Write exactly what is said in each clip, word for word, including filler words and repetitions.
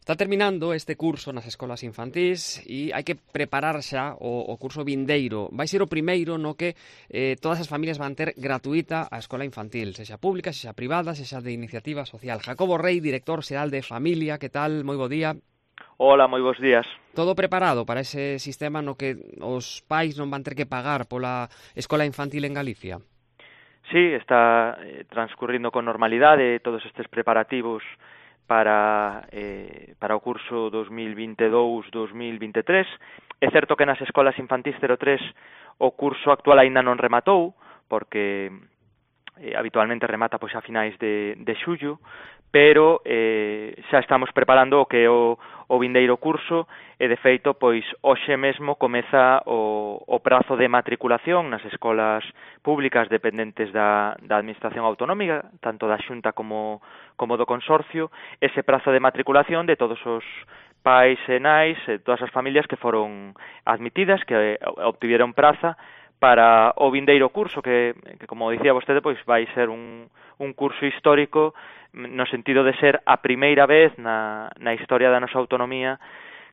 Está terminando este curso nas escolas infantís e hai que preparar xa o, o curso vindeiro. Vai ser o primeiro no que eh, todas as familias van ter gratuita a escola infantil, sexa pública, sexa privada, sexa de iniciativa social. Jacobo Rei, director xeral de Familia, que tal? Moi bo día. Hola, moi bons días. Todo preparado para ese sistema no que os pais non van ter que pagar pola escola infantil en Galicia? Sí, está eh, transcurrindo con normalidade todos estes preparativos para eh, para o curso dos mil vinte e dous dos mil vinte e tres. É certo que nas escolas infantís cero tres o curso actual aínda non rematou, porque eh, habitualmente remata pois a finais de, de xullo, pero eh, xa estamos preparando o que é o, o vindeiro curso e, de feito, pois hoxe mesmo comeza o, o prazo de matriculación nas escolas públicas dependentes da, da Administración Autonómica, tanto da Xunta como, como do Consorcio, ese prazo de matriculación de todos os pais e nais, e todas as familias que foron admitidas, que obtiveron praza para o vindeiro curso, que, que como dicía vostede, pois vai ser un, un curso histórico no sentido de ser a primeira vez na, na historia da nosa autonomía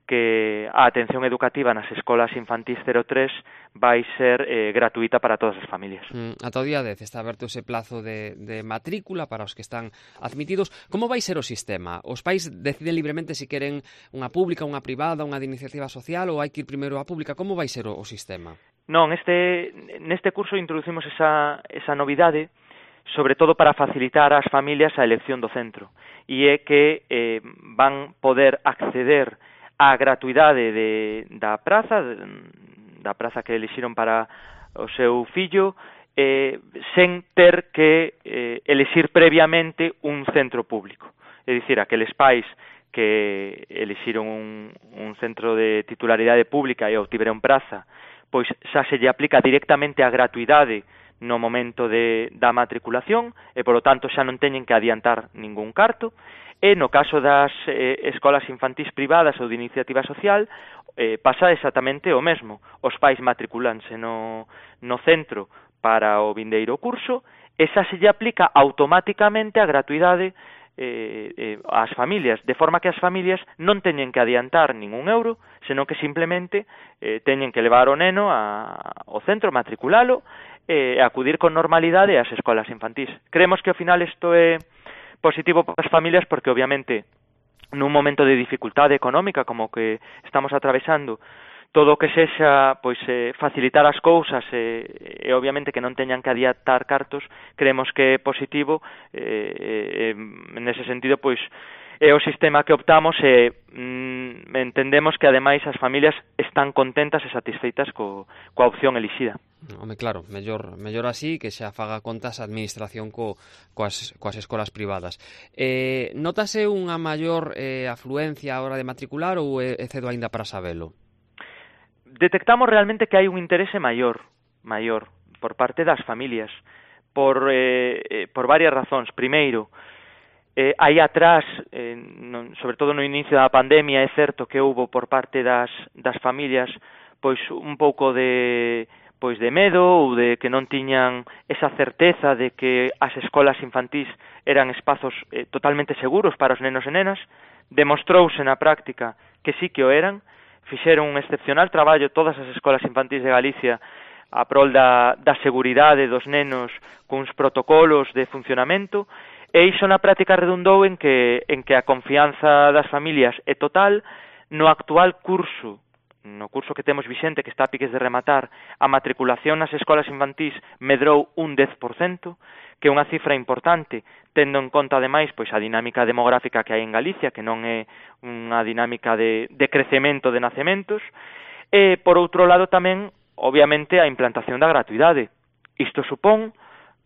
que a atención educativa nas escolas infantís cero tres vai ser eh, gratuita para todas as familias. Mm, ata o día dez está aberto ese plazo de, de matrícula para os que están admitidos. Como vai ser o sistema? Os pais deciden libremente se queren unha pública, unha privada, unha de iniciativa social, ou hai que ir primeiro á pública? Como vai ser o, o sistema? Non, este, neste curso introducimos esa, esa novidade, sobre todo para facilitar ás familias a elección do centro, e é que eh, van poder acceder á gratuidade de, da praza, da praza que elixiron para o seu fillo, eh, sen ter que eh, elixir previamente un centro público. É dicir, aqueles pais que elixiron un, un centro de titularidade pública e obtiveron praza, pois xa se lle aplica directamente a gratuidade no momento de, da matriculación e, polo tanto, xa non teñen que adiantar ningún carto. E no caso das eh, escolas infantís privadas ou de iniciativa social, eh, pasa exactamente o mesmo. Os pais matriculanse no, no centro para o vindeiro curso e xa se lle aplica automáticamente a gratuidade eh, eh, ás familias, de forma que as familias non teñen que adiantar ningún euro, senón que simplemente eh, teñen que levar o neno a, ao centro, matriculalo e acudir con normalidade ás escolas infantís. Creemos que ao final isto é positivo para as familias porque obviamente nun momento de dificultade económica como que estamos atravesando, todo o que sexa pois eh, facilitar as cousas e, e obviamente que non teñan que adiantar cartos, creemos que é positivo eh, eh, nese sentido pois é o sistema que optamos e mm, entendemos que ademais as familias están contentas e satisfeitas co, coa opción elixida. Home, claro, mellor, mellor así que xa faga contas a administración co, coas, coas escolas privadas. Eh, notase unha maior eh, afluencia a hora de matricular ou é, é cedo aínda para sabelo? Detectamos realmente que hai un interese maior, maior por parte das familias, por, eh, por varias razóns. Primeiro, eh, aí atrás, eh, non, sobre todo no inicio da pandemia, é certo que houbo por parte das, das familias pois un pouco de pois de medo ou de que non tiñan esa certeza de que as escolas infantís eran espazos eh, totalmente seguros para os nenos e nenas. Demostrouse na práctica que sí que o eran. Fixeron un excepcional traballo todas as escolas infantís de Galicia a prol da, da seguridade dos nenos cuns protocolos de funcionamento, e iso na práctica redundou en que, en que a confianza das familias é total. No actual curso, no curso que temos vixente, que está a piques de rematar, a matriculación nas escolas infantís medrou un dez por cento, que é unha cifra importante, tendo en conta, ademais, pois a dinámica demográfica que hai en Galicia, que non é unha dinámica de, de crecemento de nacementos, e, por outro lado, tamén, obviamente, a implantación da gratuidade. Isto supón,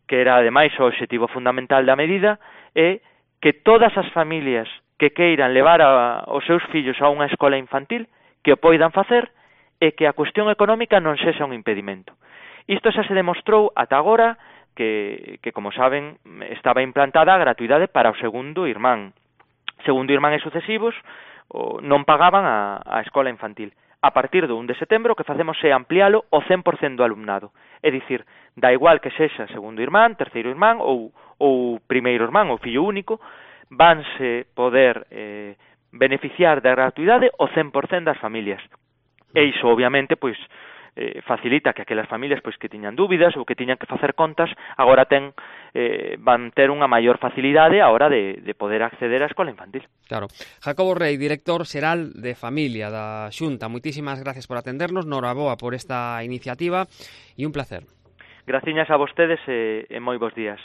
que era, ademais, o obxectivo fundamental da medida, é que todas as familias que queiran levar a, os seus fillos a unha escola infantil, que o poidan facer, e que a cuestión económica non sexa un impedimento. Isto xa se demostrou ata agora, que, que como saben, estaba implantada a gratuidade para o segundo irmán. Segundo irmán e sucesivos o, non pagaban a, a escola infantil. A partir do un de setembro o que facemos é ampliálo ao cen por cento do alumnado. É dicir, da igual que sexa segundo irmán, terceiro irmán ou, ou primeiro irmán ou fillo único, vanse poder eh, beneficiar da gratuidade o cen por cento das familias. E iso, obviamente, pois, eh, facilita que aquelas familias pois que tiñan dúbidas ou que tiñan que facer contas, agora ten eh, van ter unha maior facilidade a hora de, de poder acceder á escola infantil. Claro. Jacobo Rey, director xeral de Familia da Xunta, moitísimas gracias por atendernos, noraboa por esta iniciativa e un placer. Graciñas a vostedes e, e moi bons días.